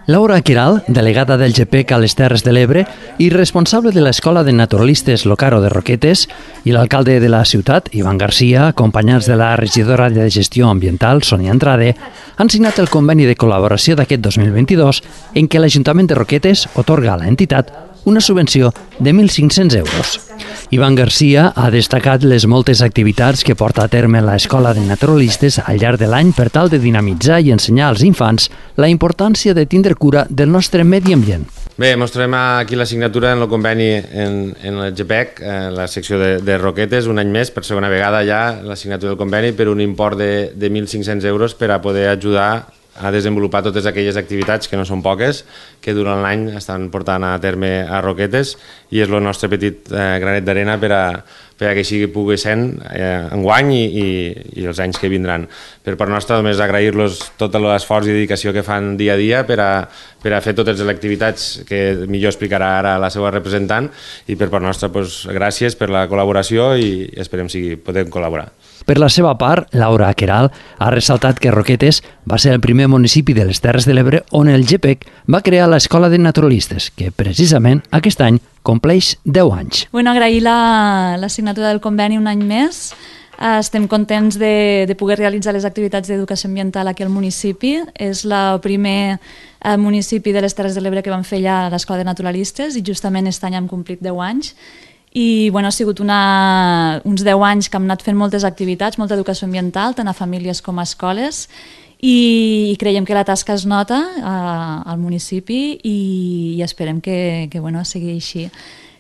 Laura Queralt, delegada del GPEC a les Terres de l'Ebre i responsable de l'Escola de Naturalistes Locaro de Roquetes, i l'alcalde de la ciutat, Ivan Garcia, acompanyats de la regidora de Gestió Ambiental, Sonia Andrade, han signat el conveni de col·laboració d'aquest 2022 en què l'Ajuntament de Roquetes atorga a l'entitat una subvenció de 1.500 euros. Ivan Garcia ha destacat les moltes activitats que porta a terme l'Escola de Naturalistes al llarg de l'any per tal de dinamitzar i ensenyar als infants la importància de tindre cura del nostre medi ambient. Bé, mostrem aquí la signatura en el conveni en el GPEC, la secció de Roquetes, un any més, per segona vegada ja la signatura del conveni per un import de 1.500 euros per a poder ajudar a desenvolupar totes aquelles activitats, que no són poques, que durant l'any estan portant a terme a Roquetes, i és el nostre petit granet d'arena per a que així pugui ser enguany i els anys que vindran. Per part nostra, només agrair-los tot l'esforç i dedicació que fan dia a dia per a fer totes les activitats que millor explicarà ara la seva representant, i per part nostra, gràcies per la col·laboració i esperem que podem col·laborar. Per la seva part, Laura Queralt ha ressaltat que Roquetes va ser el primer municipi de les Terres de l'Ebre on el GPEC va crear l'Escola de Naturalistes, que precisament aquest any compleix 10 anys. Agrair la signatura del conveni un any més. Estem contents de poder realitzar les activitats d'educació ambiental aquí al municipi. És el primer municipi de les Terres de l'Ebre que vam fer ja l'Escola de Naturalistes i justament aquest any hem complit 10 anys. I ha sigut uns 10 anys que hem anat fent moltes activitats, molta educació ambiental, tant a famílies com a escoles, i creiem que la tasca es nota al municipi i esperem que sigui així.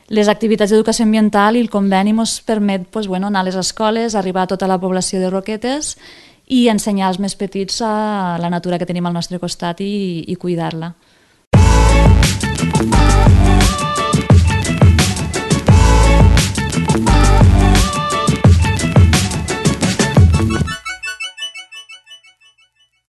Les activitats d'educació ambiental i el conveni ens permet anar a les escoles, arribar a tota la població de Roquetes i ensenyar als més petits la natura que tenim al nostre costat i cuidar-la.